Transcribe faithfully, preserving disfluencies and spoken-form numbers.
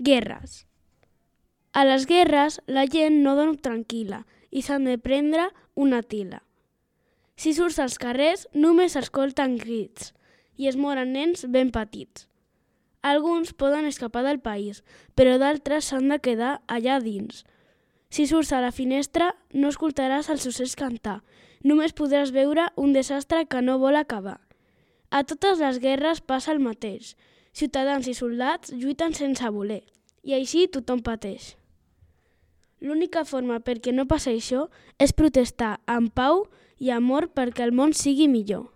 Guerres. A les guerres la gent no dorm tranquil·la i s'han de prendre una tila. Si surts als carrers només s'escolten crits i es moren nens ben petits. Alguns poden escapar del país, però d'altres s'han de quedar allà dins. Si surts a la finestra no escoltaràs els ocells cantar, només podràs veure un desastre que no vol acabar. A totes les guerres passa el mateix. Ciutadans i soldats lluiten sense voler, i així tothom pateix. L'única forma perquè no passi això és protestar amb pau i amor perquè el món sigui millor.